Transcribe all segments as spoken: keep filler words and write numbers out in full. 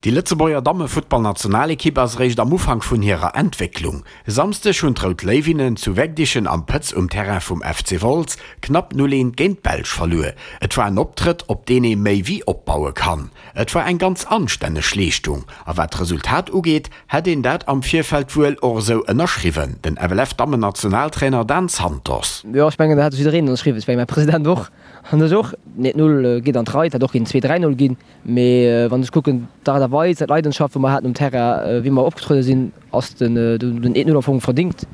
Déi Lëtzebuerger Dammefuttballnationalekipp ass eréischt am Ufank vun hirer Entwécklung. E Samsdeg hunn d'Rout Léiwinnen zu Wegdichen am Pëtz um Terrain vum F C Wolz knapp null eent géint d'Belsch verluer. Et war en Optrëtt, op deen ee méi wéi opbaue kann. Et war eng ganz anstänneg Leeschtung a wat d'Resultat ugeet, hätt een dat am Virfeld wuel och esou ënnerschriwwen, den F L F-Dammennationaltrainer Dan Santos. Jo, ech mengen, dat hätt jiddereen ënnerschriwwen. Ech mengen, mäi President och an ech och. Eent Null geet an d'Rei, et hätt och kënnen zwee, dräi Null ginn. Mee wann ech kucken, d'Aart a Weis, d'Leidenschaft, wou mer haten um Terrain, wéi mer opgetruede sinn, ass den den eent Null am Fong verdingt.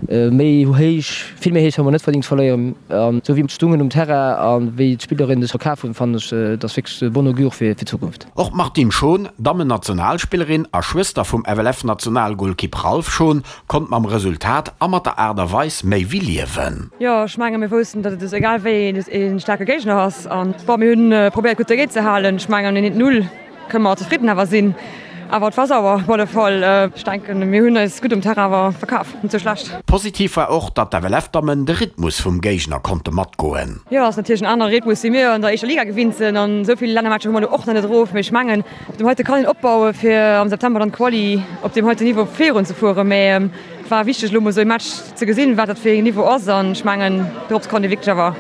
Méi héich, vill méi héich hu mer net verdingt ze verléieren. An esou wéi mer stungen um Terrain a wéi d'Spillerinnen sech verkaf hunn, fannen ech, et ass wierklech bon augure fir d'Zukunft. Och d'Martine Schon, Dammennationalspillerin a Schwëster vum F L F-Nationalgolkipp Ralph Schon, konnt mam Resultat a mat der Aart a Weis méi wéi liewen. Jo, ech menge mir woussten, datt et egal wéi e staarke Géigner ass an bon, mir hunn probéiert gutt dogéint ze halen. Ech mengen eent Null kënne mer zefridden awer sinn. Awer et war sauer op alle Fall. Ech denken mir hunn eis gutt um Terrain awer verkaf, net sou schlecht. Positiv war och, datt d'F L F-Dammen de Rhythmus vum Géigner konnte matgoen. Jo, ass natierlech en anere Rhythmus wéi mir an der éischter Liga gewinnt sinn an esou vill Lännermatcher hu mer elo och nach net erof. Mee ech mengen op deem heite kann een opbaue fir am September dann d'Quali op deem heiten Niveau virun ze fueren. Mee et war wichteg elo mol esou e Match ze gesinn, wat dat fir een Niveau ass an ech mengen dorops kann ee wierklech awer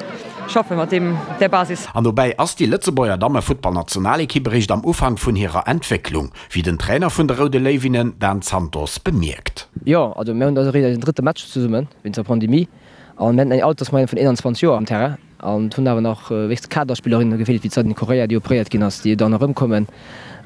schaffe mat deem där Basis. An dobäi ass déi Lëtzebuerger Dammefuttballnationalekipp eréischt am Ufank vun hirer Entwécklung, wéi den Trainer vun de Roude Léiwinnen Dan Santos bemierkt. Jo, also mir hunn also eréischt eisen drëtte Match zesummen wéinst der Pandemie an mir haten eng Altersmoyenne vun eenanzwanzeg Joer am Terrain an et hunn awer nach wéinst Kaderspillerinne gefeelt, wéi d'Sandrine Correia, déi operéiert ginn ass, déi dann erëmkommen.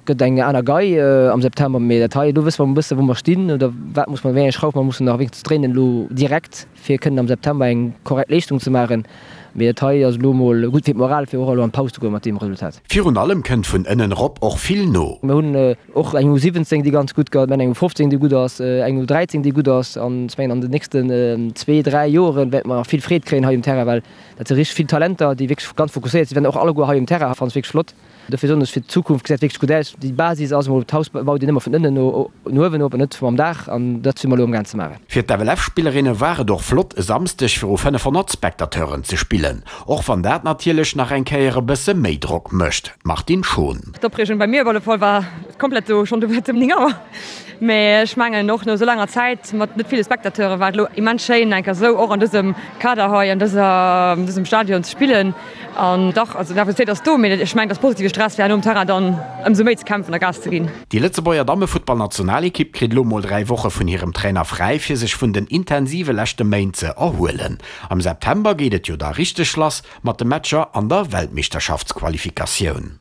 Gëtt eng aner Gei am September, mee dat hei, elo wësse mer e bësse wou mer stinn oder wat muss mer, wéi eng Schrauf mer mussen nach wéinstens dréinen elo direkt, fir kënnen am September eng korrekt Leeschtung ze maachen. Mee dat hei ass elo mol gutt fir d'Moral, fir och elo an d'Paus ze goe mat deem Resultat. Virun allem kënnt vun ënnen erop och vill no. Mir hunn och eng U siwwenzéng, déi ganz gutt gëtt, mir hunn eng U fofzéng, déi gutt ass, eng U dräizéng, déi gutt ass an ech mengen an den nächsten zwee, dräi Joren wäerte mer nach vill Freed kréien hei um Terrain, well dat si richteg vill Talenter, déi wierklech ganz fokusséiert sinn, och alleguer hei um Terrain, fannen ech wierklech flott. Dofir soen ech, fir d'Zukunft gesäit wierklech gutt aus. Déi Basis ass emol, d'Haus baut een ëmmer vun ënnen no uewen op an net mam Daach an dat si mer elo amgaang ze maachen. Fir d'F L F-Spillerinne war et och flott, e Samsdeg viru fënnefhonnert Spectateuren ze spillen, och wann dat natierlech nach eng Kéier e bësse méi Drock mécht. D'Martine Schon. D'Opreegung bei mir op alle Fall war komplett do schonn do um néng Auer. Mee ech mengen och no esou laanger Zäit mat net ville Spectateure war et elo immens schéin eng Kéier esou och an dësem Kader hei an dëser, an dësem Stadion ze spillen. An dach, also d'Nervositéit ass do, mee ech mengen et ass positive Stress fir herno um Terrain dann ëmsou méi ze kämpfen a Gas ze ginn. Déi Lëtzebuerger Dammefuttballnationalekipp kritt elo mol dräi Woche vun hirem Trainer fräi, fir sech vun den intensive leschte Méint ze erhuelen. Am September geet et jo da richteg lass mat de Matcher an der Weltmeeschterschaftsqualifikatioun.